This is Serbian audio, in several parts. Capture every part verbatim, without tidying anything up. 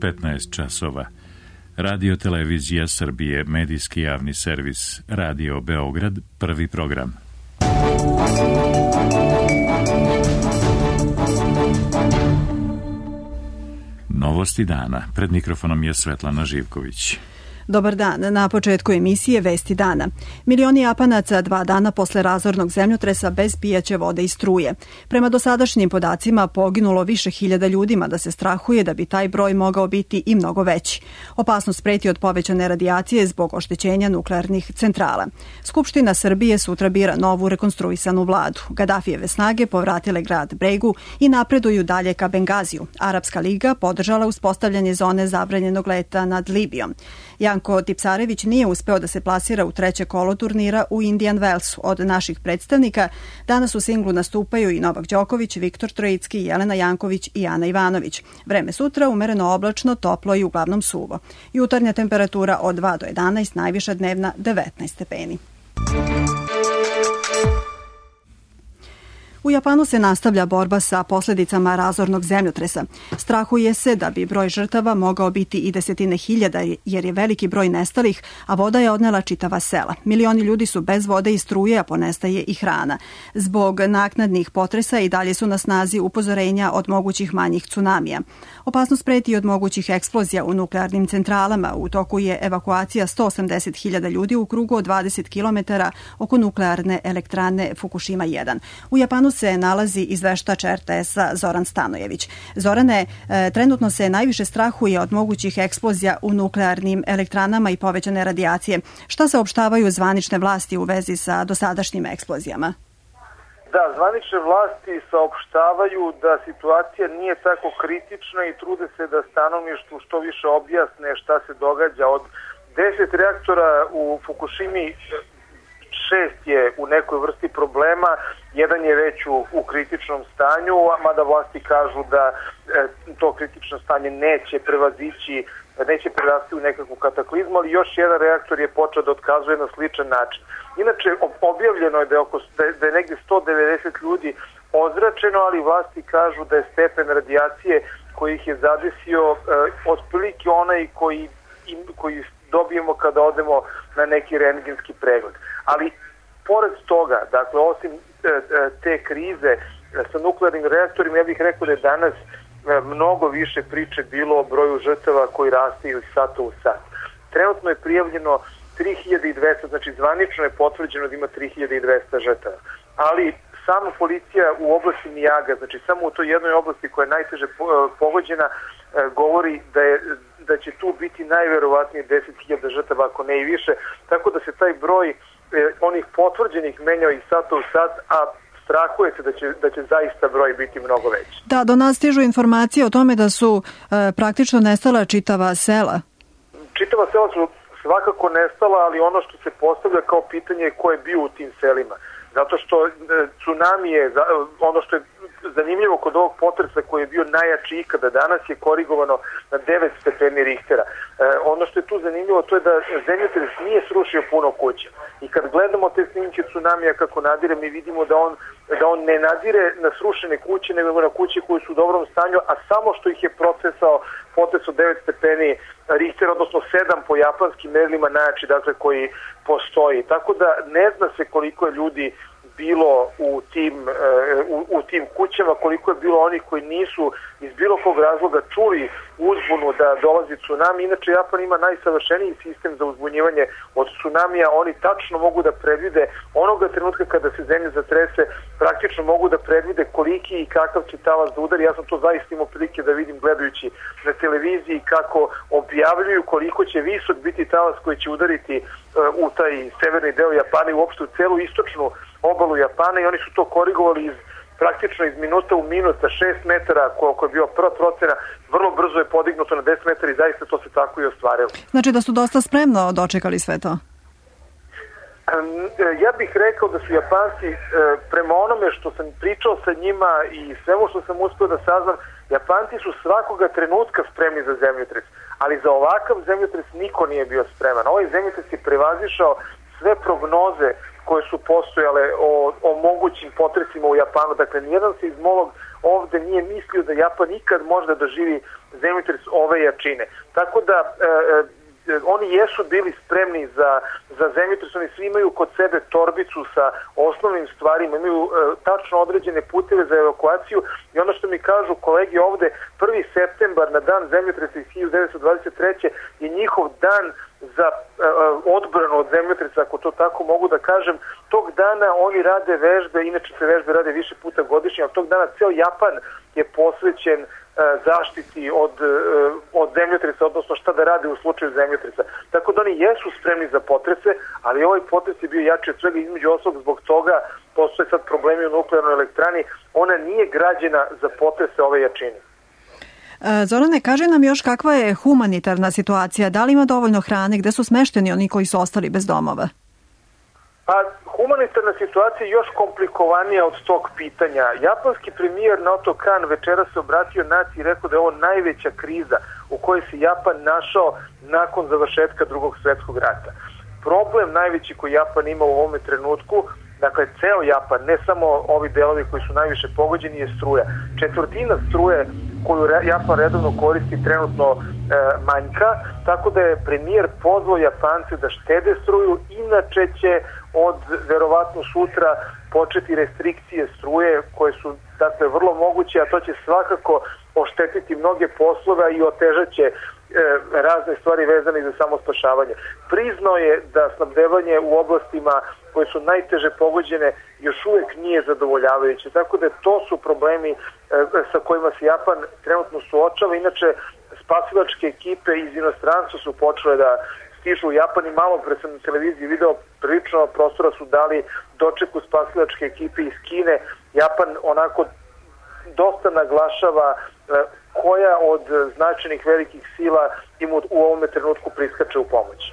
petnaest časova. Radio Televizija Srbije, medijski javni servis, Radio Beograd, prvi program. Novosti dana. Pred mikrofonom je Svetlana Živković. Dobar dan. Na početku emisije Vesti dana. Milioni Japanaca dva dana posle razornog zemljotresa bez pijaće vode i struje. Prema dosadašnjim podacima poginulo više hiljada ljudima, da se strahuje da bi taj broj mogao biti i mnogo veći. Opasnost preti od povećane radijacije zbog oštećenja nuklearnih centrala. Skupština Srbije sutra bira novu rekonstruisanu vladu. Gadafijeve snage povratile grad Bregu i napreduju dalje ka Bengaziju. Arapska liga podržala uspostavljanje zone zabranjenog leta nad Libijom. Janko Tipsarević nije uspeo da se plasira u treće kolo turnira u Indian Wellsu. Od naših predstavnika danas u singlu nastupaju i Novak Đoković, Viktor Trojicki, Jelena Janković i Ana Ivanović. Vreme sutra umereno oblačno, toplo i uglavnom suvo. Jutarnja temperatura od dva do jedanaest, najviša dnevna devetnaest stepeni. U Japanu se nastavlja borba sa posljedicama razornog zemljotresa. Strahuje se da bi broj žrtava mogao biti i desetine hiljada, jer je veliki broj nestalih, a voda je odnela čitava sela. Milioni ljudi su bez vode i struje, a ponestaje i hrana. Zbog naknadnih potresa i dalje su na snazi upozorenja od mogućih manjih tsunamija. Opasnost preti od mogućih eksplozija u nuklearnim centralama. U toku je evakuacija sto osamdeset hiljada ljudi u krugu od dvadeset kilometara oko nuklearne elektrane Fukushima jedan. U Japanu se nalazi izveštač er te es-a Zoran Stanojević. Zorane, e, trenutno se najviše strahuje od mogućih eksplozija u nuklearnim elektranama i povećane radijacije. Šta saopštavaju zvanične vlasti u vezi sa dosadašnjim eksplozijama? Da, zvanične vlasti saopštavaju da situacija nije tako kritična i trude se da stanovništvu što više objasne šta se događa. Od deset reaktora u Fukushimi šest je u nekoj vrsti problema, jedan je već u, u kritičnom stanju, mada vlasti kažu da e, to kritično stanje neće prevazići, neće prerasti u nekakvu kataklizmu, ali još jedan reaktor je počeo da otkazuje na sličan način. Inače, objavljeno je da je, oko, da je negdje sto devedeset ljudi ozračeno, ali vlasti kažu da je stepen radijacije koji ih je zadesio e, otprilike onaj koji, im, koji dobijemo kada odemo na neki rentgenski pregled. Ali pored toga, dakle, osim te krize sa nuklearnim reaktorima, ja bih rekao da je danas mnogo više priče bilo o broju žrtava koji raste iz sata u sat. Trenutno je prijavljeno tri hiljade dvesta, znači zvanično je potvrđeno da ima tri hiljade dvesta žrtava. Ali sama policija u oblasti Mijaga, znači samo u toj jednoj oblasti koja je najteže pogođena, govori da je da će tu biti najverovatnije deset hiljada žrtava, ako ne i više, tako da se taj broj e, onih potvrđenih menjao iz sata u sat, a strahuje se da će, da će zaista broj biti mnogo veći. Da, do nas stižu informacije o tome da su e, praktično nestala čitava sela. Čitava sela su svakako nestala, ali ono što se postavlja kao pitanje je ko je bio u tim selima. Zato što e, tsunami je, ono što je zanimljivo kod ovog potresa koji je bio najjači ikada danas, je korigovano na devet stepeni Richtera. E, ono što je tu zanimljivo to je da zemljotres nije srušio puno kuća. I kad gledamo te snimke tsunamija kako nadire, mi vidimo da on, da on ne nadire na srušene kuće, nego na kuće koje su u dobrom stanju, a samo što ih je procesao potres od devet stepeni Richtera, odnosno sedam po japanskim merilima najjači, dakle, koji postoji. Tako da ne zna se koliko je ljudi bilo u tim, u, u tim kućama, koliko je bilo onih koji nisu iz bilo kog razloga čuli uzbunu da dolazi tsunami. Inače, Japan ima najsavršeniji sistem za uzbunjivanje od tsunamija. Oni tačno mogu da predvide onoga trenutka kada se zemlja zatrese, praktično mogu da predvide koliki i kakav će talas da udari. Ja sam to zaista imao prilike da vidim gledajući na televiziji kako objavljuju koliko će visok biti talas koji će udariti uh, u taj severni deo Japana i uopšte u celu istočnu obalu Japana, i oni su to korigovali iz praktično iz minuta u minut sa šest metara, koliko je bio prva procena, vrlo brzo je podignuto na deset metara i zaista to se tako i ostvarilo. Znači da su dosta spremno dočekali sve to? Ja bih rekao da su Japanci, prema onome što sam pričao sa njima i svemu što sam uspio da saznam, Japanci su svakoga trenutka spremni za zemljotres, ali za ovakav zemljotres niko nije bio spreman. Ovaj zemljotres je prevazišao sve prognoze koje su postojale o, o mogućim potresima u Japanu. Dakle, nijedan seizmolog ovde nije mislio da Japan nikad može da doživi zemljotres ove jačine. Tako da e, oni jesu bili spremni za, za zemljotres, oni svi imaju kod sebe torbicu sa osnovnim stvarima, imaju e, tačno određene puteve za evakuaciju i ono što mi kažu kolegi ovde, prvi septembar na dan zemljotresa iz hiljadu devetsto dvadeset treće je njihov dan za e, odbranu od zemljotresa, ako to tako mogu da kažem. Tog dana oni rade vežbe, inače se vežbe rade više puta godišnje, ali tog dana ceo Japan je posvećen zaštiti od, od zemljotresa, odnosno šta da rade u slučaju zemljotresa. Tako da oni jesu spremni za potrese, ali ovaj potres je bio jači od svega, između ostalog zbog toga postoje sad problemi u nuklearnoj elektrani. Ona nije građena za potrese ove jačine. Zorane, kaže nam još kakva je humanitarna situacija, da li ima dovoljno hrane, gde su smešteni oni koji su ostali bez domova? Pa, humanitarna situacija je još komplikovanija od tog pitanja. Japanski premijer Naoto Kan večera se obratio naciji i rekao da je ovo najveća kriza u kojoj se Japan našao nakon završetka drugog svjetskog rata. Problem najveći koji Japan ima u ovome trenutku, dakle ceo Japan, ne samo ovi delovi koji su najviše pogođeni, je struja. Četvrtina struje koju Japan redovno koristi trenutno e, manjka, tako da je premijer pozvao Japance da štede struju, inače će od verovatno sutra početi restrikcije struje koje su dakle vrlo moguće, a to će svakako oštetiti mnoge poslove i otežaće e, razne stvari vezane za samospašavanje. Priznao je da snabdevanje u oblastima koje su najteže pogođene još uvek nije zadovoljavajuće, tako da to su problemi e, sa kojima se Japan trenutno suočava. Inače, spasilačke ekipe iz inostranstva su počele da stižu u Japan i malo pre sam na televiziji video, prilično prostora su dali dočeku spasilačke ekipe iz Kine. Japan onako dosta naglašava e, koja od značajnih velikih sila im u ovome trenutku priskače u pomoć.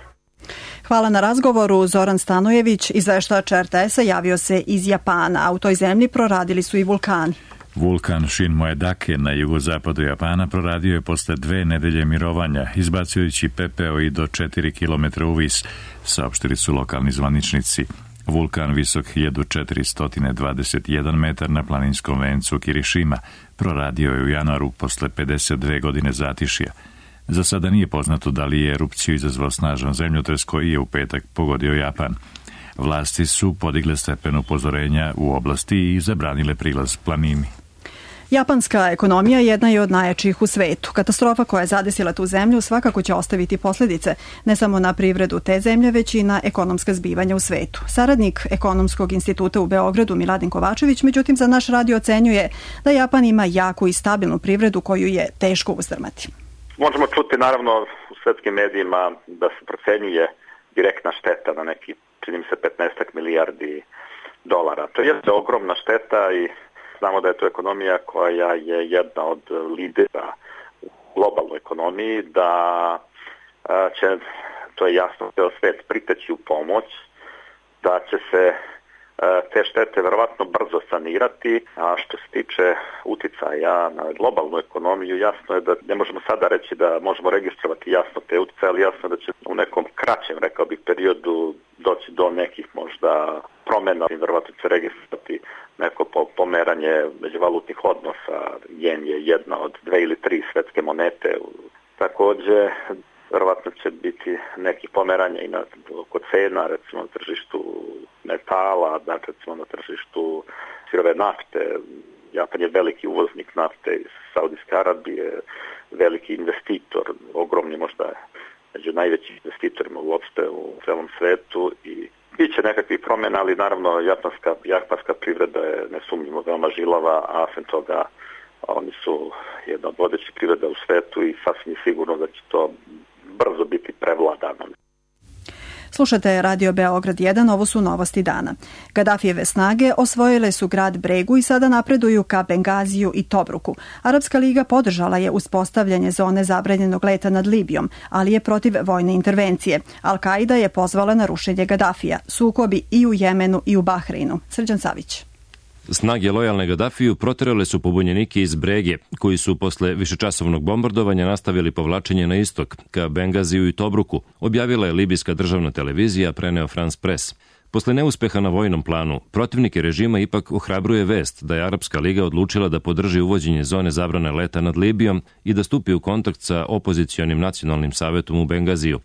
Hvala na razgovoru. Zoran Stanojević, izveštač er te esa, javio se iz Japana, a u toj zemlji proradili su i vulkani. Vulkan Shinmoedake na jugozapadu Japana proradio je posle dve nedelje mirovanja, izbacujući pepeo i do četiri kilometra u vis, saopštili su lokalni zvaničnici. Vulkan visok hiljadu četiristo dvadeset jedan metar na planinskom vencu Kirishima proradio je u januaru posle pedeset dve godine zatišja. Za sada nije poznato da li je erupciju izazvao snažan zemljotres koji je u petak pogodio Japan. Vlasti su podigle stepen upozorenja u oblasti i zabranile prilaz planini. Japanska ekonomija jedna je od najjačih u svetu. Katastrofa koja je zadesila tu zemlju svakako će ostaviti posljedice ne samo na privredu te zemlje, već i na ekonomska zbivanja u svetu. Saradnik Ekonomskog instituta u Beogradu Miladin Kovačević, međutim za naš radio ocenjuje da Japan ima jaku i stabilnu privredu koju je teško uzdrmati. Možemo čuti naravno u svetskim medijima da se procenjuje direktna šteta na neki, čini mi se, petnaest milijardi dolara. To je ogromna šteta i znamo da je to ekonomija koja je jedna od lidera u globalnoj ekonomiji, da će, to je jasno, ceo svet priteći u pomoć, da će se te štete verovatno brzo sanirati, a što se tiče uticaja na globalnu ekonomiju, jasno je da ne možemo sada reći da možemo registrovati jasno te uticaje, ali jasno je da će u nekom kraćem, rekao bih, periodu doći do nekih možda promjena i verovatno će registrovati neko pomeranje međuvalutnih odnosa. Jen je jedna od dve ili tri svetske monete. Također, verovatno će biti nekih pomeranja i na, oko cena, recimo na tržištu metala, dakle recimo na tržištu sirove nafte. Japan je veliki uvoznik nafte iz Saudijske Arabije, veliki investitor, ogromni možda među najvećim investitorima uopšte u celom svetu i bit će nekakvih promjena, ali naravno japanska, japanska privreda je nesumnjivo veoma žilava, a sem toga oni su jedna od vodećih privreda u svetu i sasvim sigurno da će to brzo biti prevladano. Slušate Radio Beograd jedan, ovo su novosti dana. Gadafijeve snage osvojile su grad Bregu i sada napreduju ka Bengaziju i Tobruku. Arapska liga podržala je uspostavljanje zone zabranjenog leta nad Libijom, ali je protiv vojne intervencije. Al-Kaida je pozvala na rušenje Gadafija. Sukobi i u Jemenu i u Bahreinu. Srđan Savić. Snage lojalne Gadafiju proterale su pobunjenike iz Brege, koji su posle višečasovnog bombardovanja nastavili povlačenje na istok, ka Bengaziju i Tobruku, objavila je libijska državna televizija, preneo France Press. Posle neuspeha na vojnom planu, protivnike režima ipak ohrabruje vest da je Arapska liga odlučila da podrži uvođenje zone zabrane leta nad Libijom i da stupi u kontakt sa opozicionim nacionalnim savetom u Bengaziju.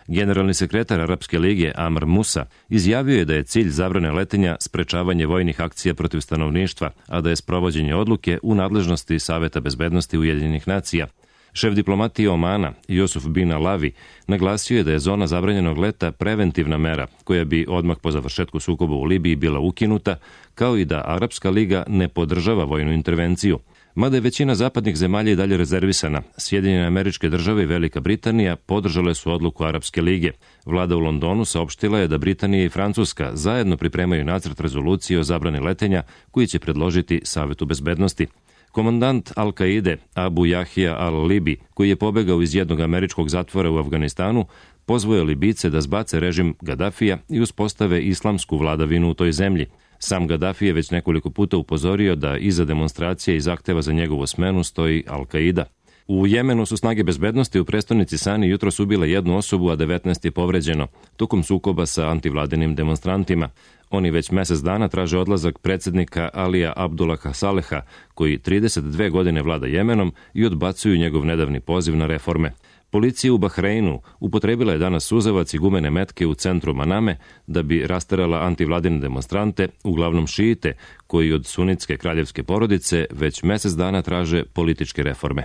Generalni sekretar Arapske lige Amr Musa izjavio je da je cilj zabrane letenja sprečavanje vojnih akcija protiv stanovništva, a da je sprovođenje odluke u nadležnosti Saveta bezbednosti Ujedinjenih nacija. Šef diplomatije Omana, Jusuf bin Alavi, naglasio je da je zona zabranjenog leta preventivna mera koja bi odmah po završetku sukoba u Libiji bila ukinuta, kao i da Arapska liga ne podržava vojnu intervenciju. Mada je većina zapadnih zemalja i dalje rezervisana, Sjedinjene Američke Države i Velika Britanija podržale su odluku Arapske lige. Vlada u Londonu saopštila je da Britanija i Francuska zajedno pripremaju nacrt rezolucije o zabrani letenja koji će predložiti Savetu bezbednosti. Komandant Al-Kaide Abu Jahija al-Libi, koji je pobegao iz jednog američkog zatvora u Afganistanu, pozvao je Libice da zbace režim Gadafija i uspostave islamsku vladavinu u toj zemlji. Sam Gaddafi je već nekoliko puta upozorio da iza demonstracije i zahteva za njegovu smenu stoji Al-Kaida. U Jemenu su snage bezbednosti u prestonici Sani jutros ubile jednu osobu, a devetnaest je povređeno, tokom sukoba sa antivladinim demonstrantima. Oni već mesec dana traže odlazak predsjednika Alija Abdullaha Saleha, koji trideset dve godine vlada Jemenom, i odbacuju njegov nedavni poziv na reforme. Policija u Bahreinu upotrebila je danas suzavac i gumene metke u centru Maname da bi rasterala antivladine demonstrante, uglavnom šiite, koji od sunitske kraljevske porodice već mesec dana traže političke reforme.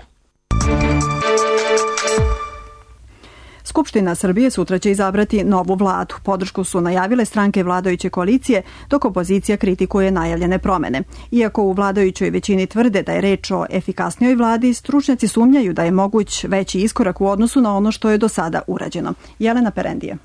Skupština Srbije sutra će izabrati novu vladu. Podršku su najavile stranke vladajuće koalicije, dok opozicija kritikuje najavljene promene. Iako u vladajućoj većini tvrde da je reč o efikasnijoj vladi, stručnjaci sumnjaju da je moguć veći iskorak u odnosu na ono što je do sada urađeno. Jelena Perendije.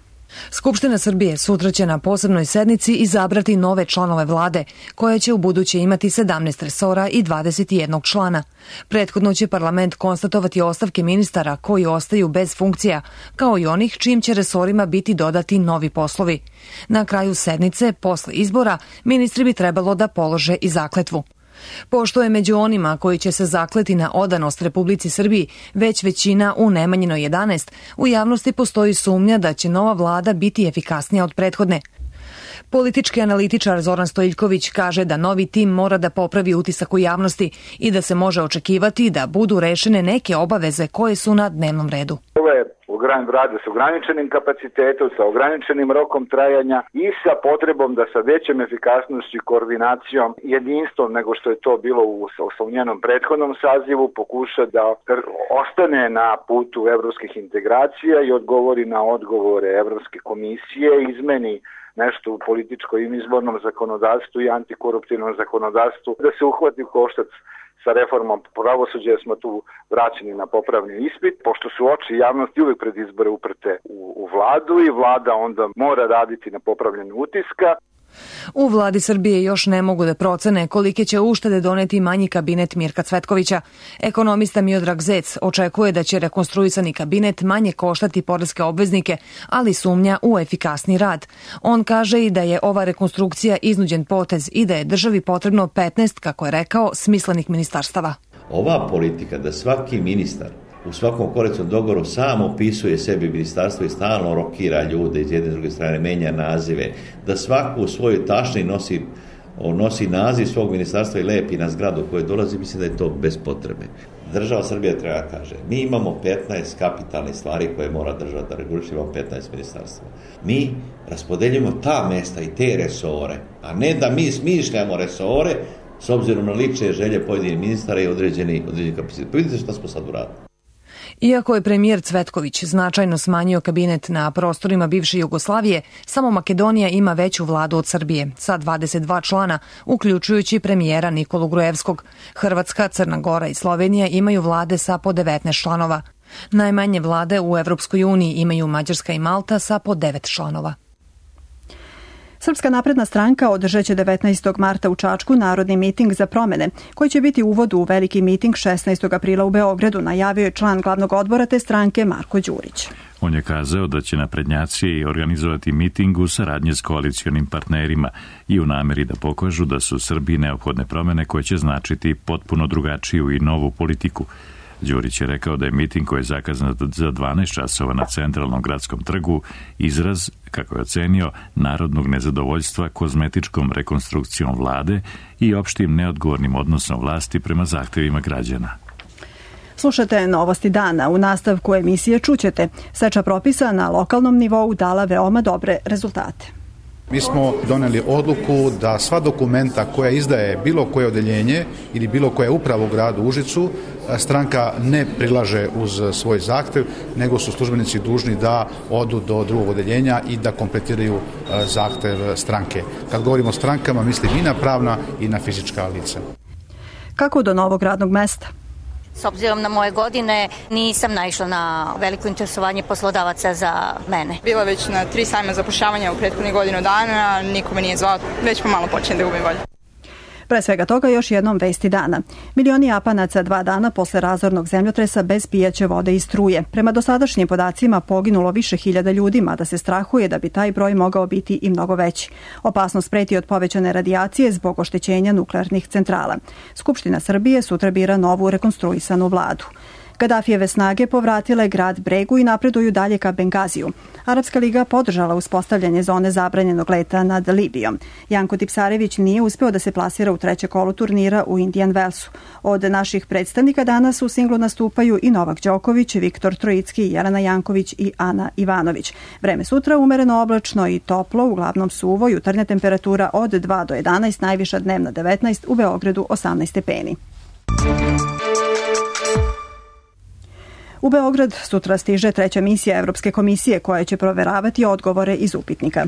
Skupština Srbije sutra će na posebnoj sednici izabrati nove članove vlade, koja će u buduće imati sedamnaest resora i dvadeset jedan člana. Prethodno će parlament konstatovati ostavke ministara koji ostaju bez funkcija, kao i onih čijim će resorima biti dodati novi poslovi. Na kraju sednice, posle izbora, ministri bi trebalo da polože i zakletvu. Pošto je među onima koji će se zakleti na odanost Republici Srbiji već većina u Nemanjinoj jedanaest, u javnosti postoji sumnja da će nova vlada biti efikasnija od prethodne. Politički analitičar Zoran Stojiljković kaže da novi tim mora da popravi utisak u javnosti i da se može očekivati da budu rešene neke obaveze koje su na dnevnom redu. Ove rade s ograničenim kapacitetom, sa ograničenim rokom trajanja i sa potrebom da sa većem efikasnošću i koordinacijom, jedinstvom nego što je to bilo u, u njenom prethodnom sazivu, pokuša da ostane na putu evropskih integracija i odgovori na odgovore Evropske komisije, izmeni nešto u političkom i izbornom zakonodavstvu i antikoruptivnom zakonodavstvu, da se uhvati u koštac sa reformom pravosuđa, smo tu vraćeni na popravni ispit, pošto su oči javnosti uvek pred izbore uprte u, u vladu i vlada onda mora raditi na popravljanju utiska. U vladi Srbije još ne mogu da procene kolike će uštede doneti manji kabinet Mirka Cvetkovića. Ekonomista Miodrag Zec očekuje da će rekonstruisani kabinet manje koštati poreske obveznike, ali sumnja u efikasni rad. On kaže i da je ova rekonstrukcija iznuđen potez i da je državi potrebno petnaest, kako je rekao, smislenih ministarstava. Ova politika da svaki ministar u svakom koalicijskom dogovoru sam opisuje sebi ministarstvo i stalno rokira ljude iz jedne i druge strane, menja nazive, da svaku u svojoj tašni nosi, nosi naziv svog ministarstva i lepi na zgradu koje dolazi, mislim da je to bez potrebe. Država Srbija treba kaže, mi imamo petnaest kapitalnih stvari koje mora država da reguliše, imamo petnaest ministarstva. Mi raspodeljujemo ta mesta i te resore, a ne da mi smišljamo resore s obzirom na lične želje pojedinih ministara i određeni, određeni kapacitet. Pa vidite šta smo sad uradili. Iako je premijer Cvetković značajno smanjio kabinet na prostorima bivše Jugoslavije, samo Makedonija ima veću vladu od Srbije, sa dvadeset dva člana, uključujući premijera Nikolu Grujevskog. Hrvatska, Crna Gora i Slovenija imaju vlade sa po devetnaest članova. Najmanje vlade u Evropskoj uniji imaju Mađarska i Malta sa po devet članova. Srpska napredna stranka održat će devetnaestog marta u Čačku narodni miting za promene, koji će biti uvod u veliki miting šesnaestog aprila u Beogradu, najavio je član glavnog odbora te stranke Marko Đurić. On je kazao da će naprednjaci organizovati miting u saradnji s koalicionim partnerima i u nameri da pokažu da su Srbiji neophodne promene koje će značiti potpuno drugačiju i novu politiku. Đurić je rekao da je miting koji je zakazan za dvanaest časova na centralnom gradskom trgu izraz, kako je ocenio, narodnog nezadovoljstva kozmetičkom rekonstrukcijom vlade i opštim neodgovornim odnosom vlasti prema zahtevima građana. Slušate Novosti dana. U nastavku emisije čućete. Seča propisa na lokalnom nivou dala veoma dobre rezultate. Mi smo doneli odluku da sva dokumenta koja izdaje bilo koje odeljenje ili bilo koja uprava u gradu Užicu, stranka ne prilaže uz svoj zahtev, nego su službenici dužni da odu do drugog odeljenja i da kompletiraju zahtev stranke. Kad govorimo o strankama, mislim i na pravna i na fizička lica. Kako do novog radnog mesta? S obzirom na moje godine nisam naišla na veliko interesovanje poslodavaca za mene. Bila već na tri sajma zapošljavanja u prethodnih godinu dana, niko me nije zvao, već pomalo počinjem da gubim volju. Pre svega toga još jednom vesti dana. Milioni Japanaca dva dana posle razornog zemljotresa bez pijaće vode i struje. Prema dosadašnjim podacima poginulo više hiljada ljudi, mada se strahuje da bi taj broj mogao biti i mnogo veći. Opasnost preti od povećane radijacije zbog oštećenja nuklearnih centrala. Skupština Srbije sutra bira novu rekonstruisanu vladu. Gadafijeve snage povratile grad Bregu i napreduju dalje ka Bengaziju. Arapska liga podržala uspostavljanje zone zabranjenog leta nad Libijom. Janko Tipsarević nije uspeo da se plasira u treće kolo turnira u Indian Wellsu. Od naših predstavnika danas u singlu nastupaju i Novak Đoković, Viktor Trojicki, Jelena Janković i Ana Ivanović. Vreme sutra umereno oblačno i toplo, uglavnom suvo, jutarnja temperatura od dva do jedanaest, najviša dnevna devetnaest, u Beogradu osamnaest stepeni. U Beograd sutra stiže treća misija Evropske komisije koja će proveravati odgovore iz upitnika.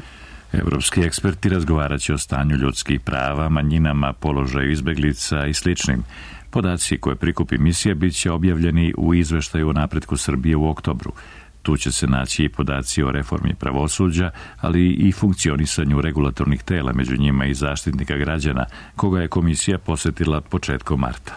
Evropski eksperti razgovarat će o stanju ljudskih prava, manjinama, položaju izbeglica i sličnim. Podaci koje prikupi misija bit će objavljeni u izveštaju o napretku Srbije u oktobru. Tu će se naći i podaci o reformi pravosuđa, ali i funkcionisanju regulatornih tela, među njima i Zaštitnika građana, koga je komisija posetila početkom marta.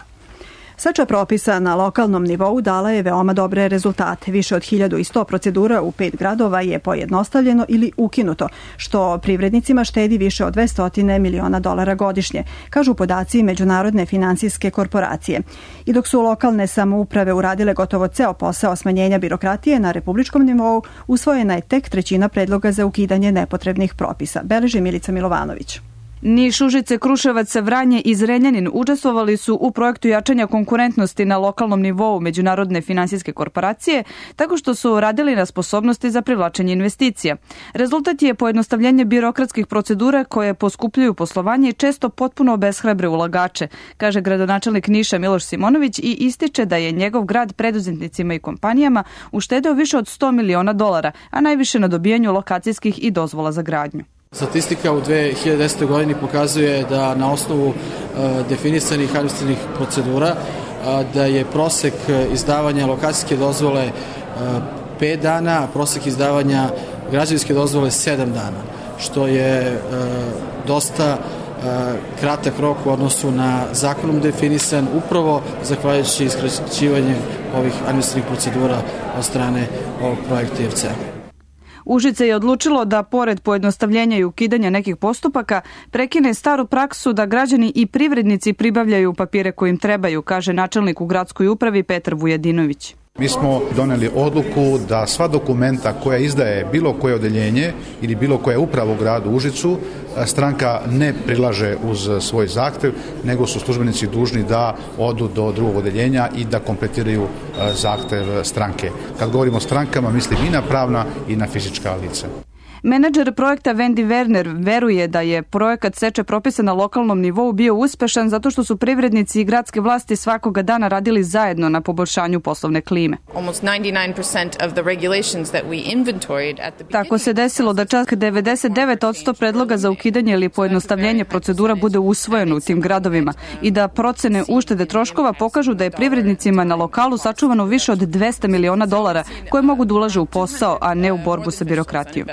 Seča propisa na lokalnom nivou dala je veoma dobre rezultate. Više od hiljadu sto procedura u pet gradova je pojednostavljeno ili ukinuto, što privrednicima štedi više od dvesta miliona dolara godišnje, kažu podaci Međunarodne finansijske korporacije. I dok su lokalne samouprave uradile gotovo ceo posao smanjenja birokratije, na republičkom nivou usvojena je tek trećina predloga za ukidanje nepotrebnih propisa, beleži Milica Milovanović. Niš, Užice, Kruševac, Vranje i Zrenjanin učestvovali su u projektu jačanja konkurentnosti na lokalnom nivou Međunarodne finansijske korporacije, tako što su radili na sposobnosti za privlačenje investicija. Rezultat je pojednostavljenje birokratskih procedura koje poskupljuju poslovanje i često potpuno obeshrabre ulagače, kaže gradonačelnik Niša Miloš Simonović i ističe da je njegov grad preduzetnicima i kompanijama uštedeo više od sto miliona dolara, a najviše na dobijanju lokacijskih i dozvola za gradnju. Statistika u dve hiljade desetoj godini pokazuje da na osnovu uh, definisanih administrativnih procedura uh, da je prosek izdavanja lokacijske dozvole uh, pet dana, a prosek izdavanja građevinske dozvole sedam dana, što je uh, dosta uh, kratak rok u odnosu na zakonom definisan, upravo zahvaljujući iskraćivanju ovih administrativnih procedura od strane ovog projekta I F C-a. Užice je odlučilo da, pored pojednostavljenja i ukidanja nekih postupaka, prekine staru praksu da građani i privrednici pribavljaju papire koji im trebaju, kaže načelnik u gradskoj upravi Petar Vujadinović. Mi smo doneli odluku da sva dokumenta koja izdaje bilo koje odeljenje ili bilo koja uprava u gradu Užicu, stranka ne prilaže uz svoj zahtev, nego su službenici dužni da odu do drugog odeljenja i da kompletiraju zahtev stranke. Kad govorimo o strankama, mislim i na pravna i na fizička lica. Menadžer projekta Wendy Werner veruje da je projekat seče propisa na lokalnom nivou bio uspešan zato što su privrednici i gradske vlasti svakoga dana radili zajedno na poboljšanju poslovne klime. Tako se desilo da čak devedeset devet posto predloga za ukidanje ili pojednostavljenje procedura bude usvojeno u tim gradovima i da procene uštede troškova pokažu da je privrednicima na lokalu sačuvano više od dvesta miliona dolara koje mogu da ulaže u posao, a ne u borbu sa birokratijom.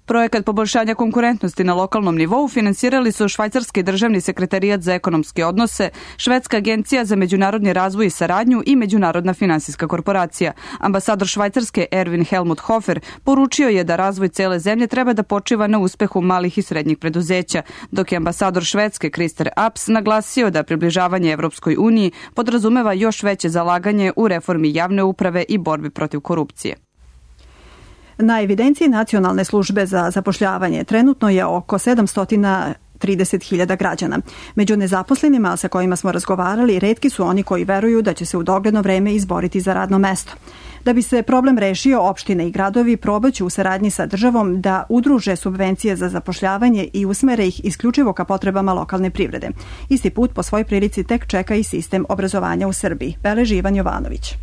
Projekat poboljšanja konkurentnosti na lokalnom nivou finansirali su Švajcarski državni sekretarijat za ekonomske odnose, Švedska agencija za međunarodni razvoj i saradnju i Međunarodna finansijska korporacija. Ambasador Švajcarske Erwin Helmut Hofer poručio je da razvoj cele zemlje treba da počiva na uspehu malih i srednjih preduzeća, dok je ambasador Švedske Krister Aps naglasio da približavanje Evropskoj uniji podrazumeva još veće zalaganje u reformi javne uprave i borbi protiv korupcije. Na evidenciji Nacionalne službe za zapošljavanje trenutno je oko sedamsto trideset hiljada građana. Među nezaposlenima sa kojima smo razgovarali, retki su oni koji veruju da će se u dogledno vreme izboriti za radno mesto. Da bi se problem rešio, opštine i gradovi probaću u saradnji sa državom da udruže subvencije za zapošljavanje i usmere ih isključivo ka potrebama lokalne privrede. Isti put po svoj prilici tek čeka i sistem obrazovanja u Srbiji, beleži Ivan Jovanović.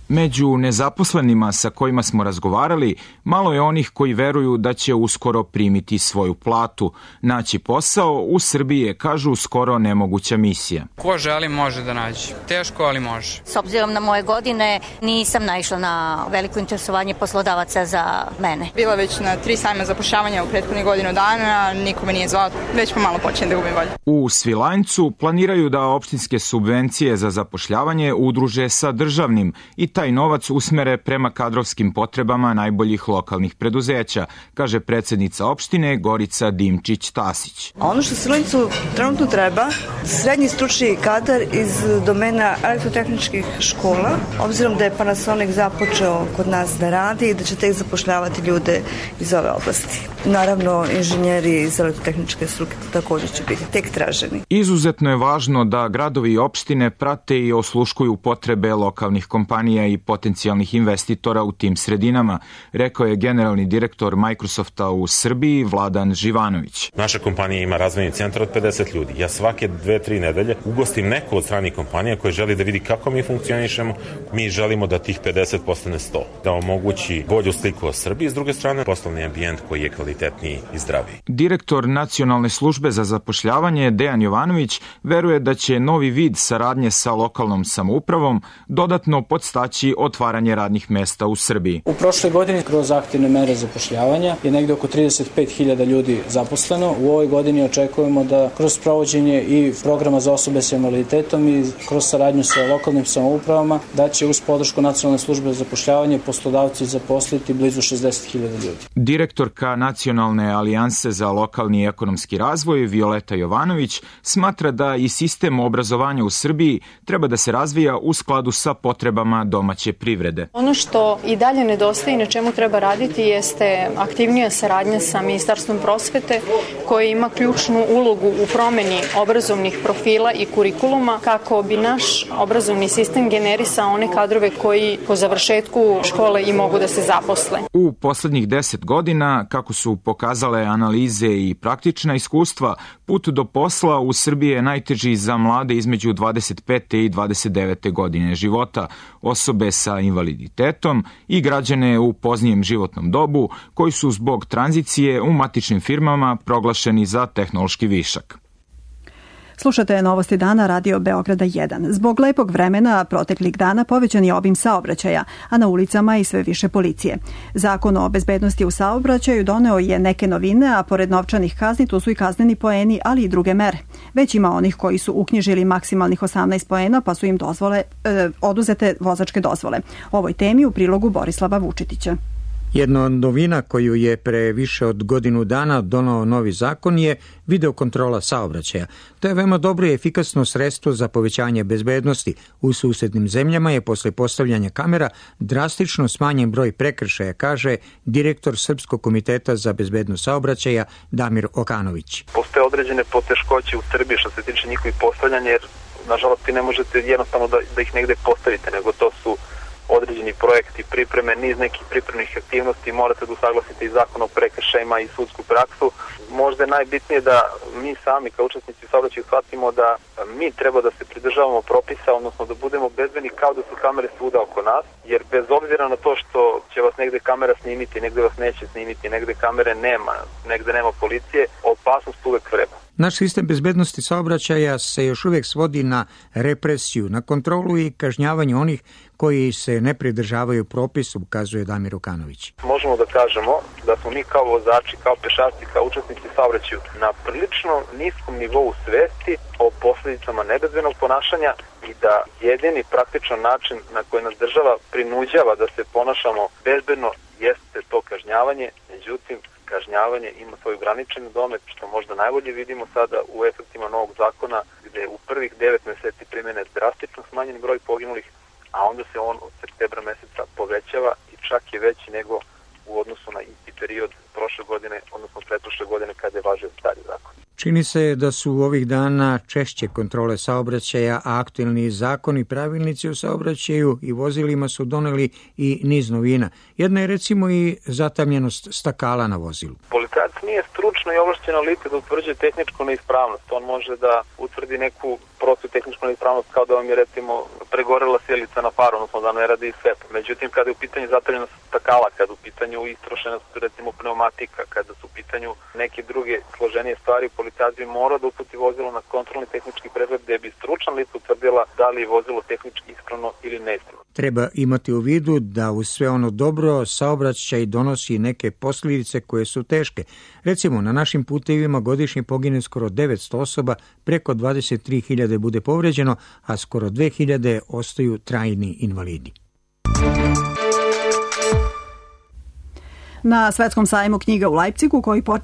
Među nezaposlenima sa kojima smo razgovarali, malo je onih koji veruju da će uskoro primiti svoju platu. Naći posao u Srbiji je, kažu, skoro nemoguća misija. Ko želi može da nađe. Teško, ali može. S obzirom na moje godine, nisam naišla na veliko interesovanje poslodavaca za mene. Bila već na tri sajma zapošljavanja u prethodnih godinu dana, niko me nije zvao, već pomalo počinjem da gubim volju. U Svilajncu planiraju da opštinske subvencije za zapošljavanje udruže sa državnim i taj novac usmere prema kadrovskim potrebama najboljih lokalnih preduzeća, kaže predsednica opštine Gorica Dimčić-Tasić. Ono što Svilajncu trenutno treba, srednji stručni kadar iz domena elektrotehničkih škola, obzirom da je Panasonic započeo kod nas da radi i da će tek zapošljavati ljude iz ove oblasti. Naravno, inženjeri iz elektrotehničke struke također će biti tek traženi. Izuzetno je važno da gradovi i opštine prate i osluškuju potrebe lokalnih kompanija i potencijalnih investitora u tim sredinama, rekao je generalni direktor Microsofta u Srbiji Vladan Živanović. Naša kompanija ima razvojni centar od pedeset ljudi. Ja svake dve, tri nedelje ugostim neko od stranih kompanija koje želi da vidi kako mi funkcionišemo. Mi želimo da tih pedeset postane sto, da omogući bolju sliku o Srbiji, s druge strane poslovni ambijent koji je kvalitetniji i zdraviji. Direktor Nacionalne službe za zapošljavanje Dejan Jovanović veruje da će novi vid saradnje sa lokalnom samoupravom dodatno podstaći otvaranje radnih mesta u Srbiji. U prošloj godini kroz aktivne mere zapošljavanja je negde oko trideset pet hiljada ljudi zaposleno. U ovoj godini očekujemo da kroz provođenje i programa za osobe sa invaliditetom i kroz saradnju sa lokalnim samoupravama da će uz podršku Nacionalne službe za zapošljavanje poslodavci zaposliti blizu šezdeset hiljada ljudi. Direktorka Nacionalne alijanse za lokalni i ekonomski razvoj Violeta Jovanović smatra da i sistem obrazovanja u Srbiji treba da se razvija u skladu sa potrebama domaće privrede. Ono što i dalje nedostaje i na čemu treba raditi jeste aktivnija saradnja sa Ministarstvom prosvete koje ima ključnu ulogu u promeni obrazovnih profila i kurikuluma kako bi naš obrazovni sistem generisao one kadrove koji po završetku škole i mogu da se zaposle. U poslednjih deset godina, kako su pokazale analize i praktična iskustva, put do posla u Srbiji je najteži za mlade između dvadeset pete i dvadeset devete godine života, osobe sa invaliditetom i građane u poznijem životnom dobu koji su zbog tranzicije u matičnim firmama proglašeni za tehnološki višak. Slušate Novosti dana Radio Beograda jedan. Zbog lepog vremena proteklih dana povećan je obim saobraćaja, a na ulicama i sve više policije. Zakon o bezbednosti u saobraćaju doneo je neke novine, a pored novčanih kazni tu su i kazneni poeni, ali i druge mere. Već ima onih koji su uknjižili maksimalnih osamnaest poena, pa su im dozvole, eh, oduzete vozačke dozvole. O ovoj temi u prilogu Borislava Vučetića. Jedna od novina koju je pre više od godinu dana donao novi zakon je videokontrola saobraćaja. To je veoma dobro i efikasno sredstvo za povećanje bezbednosti. U susednim zemljama je posle postavljanja kamera drastično smanjen broj prekršaja, kaže direktor Srpskog komiteta za bezbednost saobraćaja Damir Okanović. Postoje određene poteškoće u Srbiji što se tiče njihovih postavljanja, jer nažalost ti ne možete jednostavno da, da ih negde postavite, nego to su određeni projekti, pripreme, niz nekih pripremnih aktivnosti, morate da usaglasite i zakon o prekršajima i sudsku praksu. Možda je najbitnije da mi sami kao učesnici saobraćaja shvatimo da mi treba da se pridržavamo propisa, odnosno da budemo bezbedni kao da su kamere svuda oko nas, jer bez obzira na to što će vas negde kamera snimiti, negde vas neće snimiti, negde kamere nema, negde nema policije, opasnost uvek vreba. Naš sistem bezbednosti saobraćaja se još uvijek svodi na represiju, na kontrolu i kažnjavanje onih koji se ne pridržavaju propisu, ukazuje Damir Okanović. Možemo da kažemo da smo mi kao vozači, kao pešaci, kao učesnici saobraćaju na prilično niskom nivou svesti o posljedicama nebezbednog ponašanja i da jedini praktičan način na koji nas država prinuđava da se ponašamo bezbedno jeste to kažnjavanje. Međutim, kažnjavanje ima svoj ograničeni domet, što možda najbolje vidimo sada u efektima novog zakona, gde u prvih devet meseci primjene drastično smanjen broj poginulih, a onda se on od septembra meseca povećava i čak je veći nego u odnosu na isti period prošle godine, odnosno pretprošle godine kada je važio stari zakon. Čini se da su ovih dana češće kontrole saobraćaja, a aktuelni zakoni i pravilnici o saobraćaju i vozilima su doneli i niz novina. Jedna je recimo i zatamljenost stakala na vozilu. Policajac nije stručno i ovlašćeno lice da utvrđuje tehničku neispravnost. On može da utvrdi neku prostu tehničku neispravnost kao da vam je recimo pregorela sjelica na faru, odnosno da ne radi svetlo. Međutim, kada je u pitanju zatamljenost stakala, kada je u pitanju istrošenost recimo pneumatika, kada su u pitanju neke druge složenije stvari, policajac bi morao da uputi vozilo na kontrolni tehnički pregled gde bi stručna lica utvrdila da li je vozilo tehnički ispravno ili neispravno. Treba imati u vidu da uz sve ono dobro saobraćaj donosi neke posljedice koje su teške. Recimo, na našim putevima godišnje pogine skoro devetsto osoba, preko dvadeset tri hiljade bude povređeno, a skoro dve hiljade ostaju trajni invalidi. Na Svetskom sajmu knjiga u Leipzigu, koji po...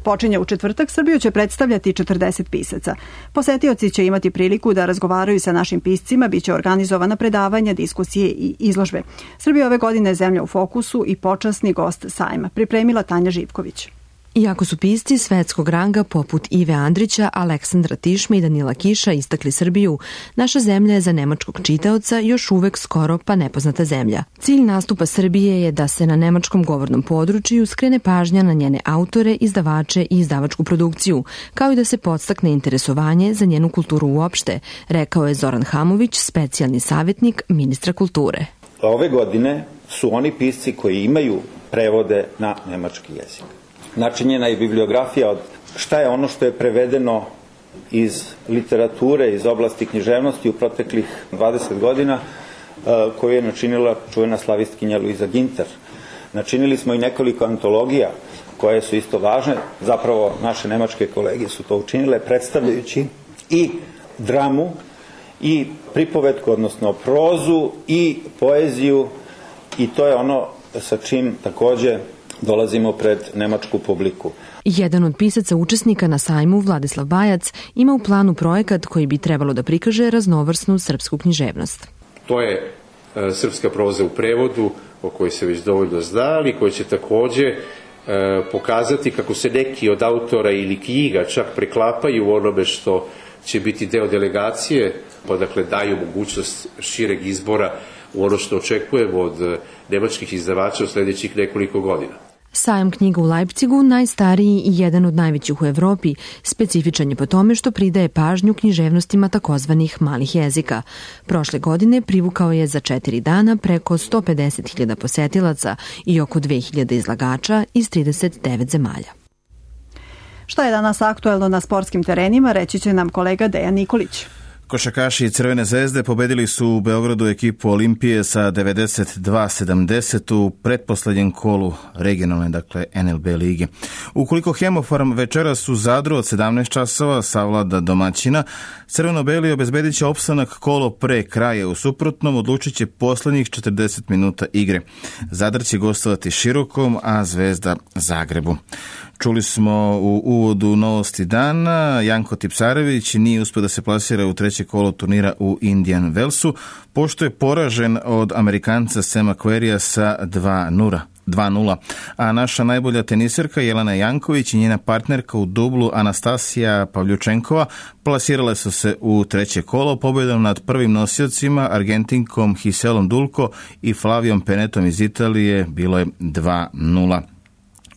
počinje u četvrtak, Srbiju će predstavljati četrdeset pisaca. Posetioci će imati priliku da razgovaraju sa našim piscima, biće organizovana predavanja, diskusije i izložbe. Srbija ove godine je zemlja u fokusu i počasni gost sajma, pripremila Tanja Živković. Iako su pisci svetskog ranga poput Ive Andrića, Aleksandra Tišme i Danila Kiša istakli Srbiju, naša zemlja je za nemačkog čitaoca još uvek skoro pa nepoznata zemlja. Cilj nastupa Srbije je da se na nemačkom govornom području skrene pažnja na njene autore, izdavače i izdavačku produkciju, kao i da se podstakne interesovanje za njenu kulturu uopšte, rekao je Zoran Hamović, specijalni savjetnik ministra kulture. Ove godine su oni pisci koji imaju prevode na nemački jezik. Načinjena je bibliografija od šta je ono što je prevedeno iz literature, iz oblasti književnosti u proteklih dvadeset godina, koju je načinila čuvena slavistkinja Luiza Ginter. Načinili smo i nekoliko antologija koje su isto važne, zapravo naše nemačke kolege su to učinile, predstavljajući i dramu, i pripovetku, odnosno prozu, i poeziju, i to je ono sa čim takođe dolazimo pred nemačku publiku. Jedan od pisaca učesnika na sajmu, Vladislav Bajac, ima u planu projekat koji bi trebalo da prikaže raznovrsnu srpsku književnost. To je e, srpska proza u prevodu, o kojoj se već dovoljno zna, ali koji će takođe e, pokazati kako se neki od autora ili knjiga čak preklapaju u onome što će biti deo delegacije, pa dakle daju mogućnost šireg izbora u ono što očekujemo od nemačkih izdavača u sljedećih nekoliko godina. Sajam knjiga u Leipzigu, najstariji i jedan od najvećih u Evropi, specifičan je po tome što pridaje pažnju književnostima takozvanih malih jezika. Prošle godine privukao je za četiri dana preko sto pedeset hiljada posetilaca i oko dve hiljade izlagača iz trideset devet zemalja. Šta je danas aktuelno na sportskim terenima, reći će nam kolega Dejan Nikolić. Košarkaši Crvene zvezde pobedili su u Beogradu ekipu Olimpije sa devedeset dva sedamdeset u pretposlednjem kolu regionalne, dakle N L B lige. Ukoliko Hemofarm večeras u Zadru od sedamnaest časova savlada domaćina, crveno-beli obezbedit će opstanak kolo pre kraja, u suprotnom odlučit će poslednjih četrdeset minuta igre. Zadar će gostovati Širokom, a Zvezda Zagrebu. Čuli smo u uvodu novosti dana, Janko Tipsarević nije uspio da se plasira u treće kolo turnira u Indian Wellsu, pošto je poražen od Amerikanca Sema Querrya sa dva nula. A naša najbolja teniserka Jelena Janković i njena partnerka u dublu Anastasija Pavljučenkova plasirale su se u treće kolo pobjedom nad prvim nosiocima Argentinkom Giselom Dulko i Flavijom Penetom iz Italije, bilo je dva nula.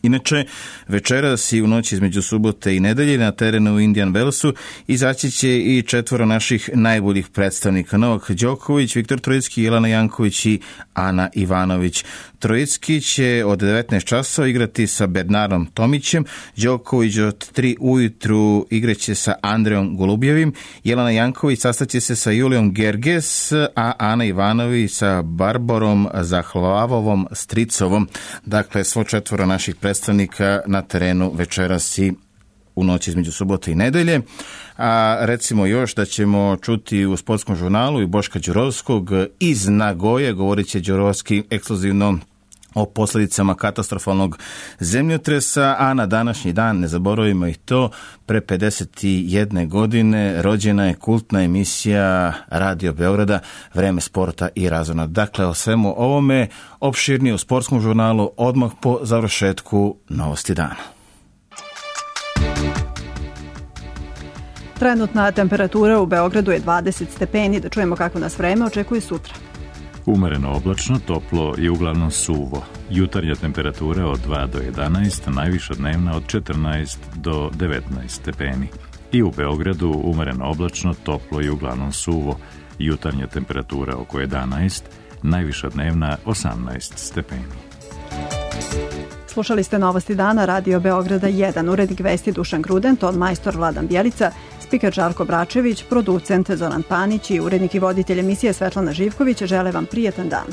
Inače, večeras i u noći između subote i nedelje na terenu u Indian Wellsu izaći će i četvoro naših najboljih predstavnika. Novak Đoković, Viktor Trojicki, Jelena Janković i Ana Ivanović. Trojicki će od devetnaest časova igrati sa Bernardom Tomićem, Đoković od tri ujutru igraće sa Andreom Golubjevim, Jelena Janković sastaće se sa Julijom Gerges, a Ana Ivanović sa Barbarom Zahlavovom Stricovom. Dakle, svo četvoro naših predstavnika na terenu večeras i u noći između subote i nedelje. A recimo još da ćemo čuti u sportskom žurnalu i Boška Đurovskog iz Nagoje, govorit će Đurovski ekskluzivno o posljedicama katastrofalnog zemljotresa, a na današnji dan, ne zaboravimo i to, pre pedeset jedne godine rođena je kultna emisija Radio Beograda Vreme sporta i razona. Dakle, o svemu ovome opširnije u sportskom žurnalu odmah po završetku Novosti dana. Trenutna temperatura u Beogradu je dvadeset stepeni. Da čujemo kako nas vreme očekuje sutra. Umereno oblačno, toplo i uglavnom suvo. Jutarnja temperatura od dva do jedanaest, najviša dnevna od četrnaest do devetnaest stepeni. I u Beogradu umereno oblačno, toplo i uglavnom suvo. Jutarnja temperatura oko jedanaest, najviša dnevna osamnaest stepeni. Slušali ste Novosti dana Radio Beograda jedan, urednik vesti Dušan Gruden, ton majstor Vladan Bjelica, spiker Žarko Bračević, producent Zoran Panić i urednik i voditelj emisije Svetlana Živković žele vam prijetan dan.